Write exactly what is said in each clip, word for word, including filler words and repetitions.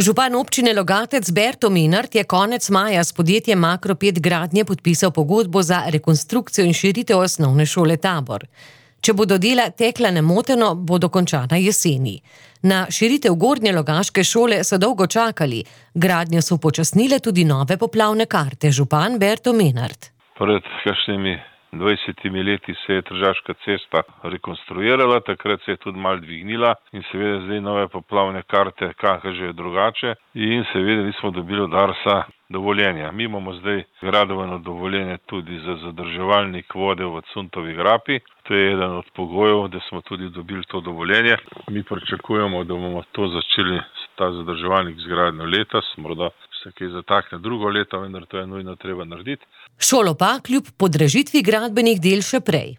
Župan občine Logatec Berto Menart je konec maja s podjetjem Makropet Gradnje podpisal pogodbo za rekonstrukcijo in širitev osnovne šole Tabor. Če bodo dela tekla nemoteno, bo dokončana jeseni. Na širitev Gornje Logaške šole so dolgo čakali. Gradnjo so upočasnile tudi nove poplavne karte. Župan Berto Menart. Pred kakšnimi dvajsetimi leti se je Tržaška cesta rekonstruirala, takrat se je tudi malo dvignila in seveda zdaj nove poplavne karte kažejo drugače in seveda nismo dobili od Darsa dovoljenja. Mi imamo zdaj gradbeno dovoljenje tudi za zadrževalnik vode v Cuntovi grapi. To je eden od pogojev, da smo tudi dobili to dovoljenje. Mi pričakujemo, da bomo to začeli, ta zadrževalnik zgradnjo letos, morda se kaj zatakne drugo leto, vendar to je nujno treba narediti. Šolo pa kljub podražitvi gradbenih del še prej.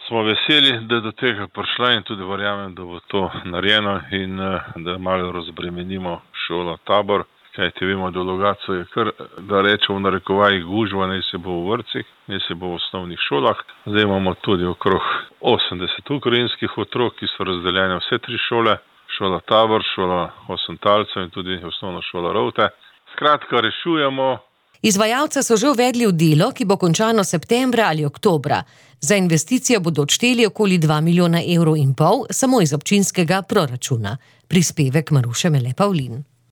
Smo veseli, da je do tega prišla in tudi verjamem, da bo to narejeno in da malo razbremenimo šolo Tabor. Kajti vemo, da v Logatcu je kar, da rečemo v narekovajih, gužva, naj se bo v vrtcih, naj se bo v osnovnih šolah. Zdaj imamo tudi okrog osemdeset ukrajinskih otrok, ki so razdeljene vse tri šole. Šola Tabor, šola Osentalcev in tudi osnovna šola Rovte. Skratka, rešujemo. Izvajalce so že uvedli v delo, ki bo končano septembra ali oktobra. Za investicijo bodo odšteli okoli dva milijona evrov in pol samo iz občinskega proračuna. Prispevek Maruše Mele Pavlin.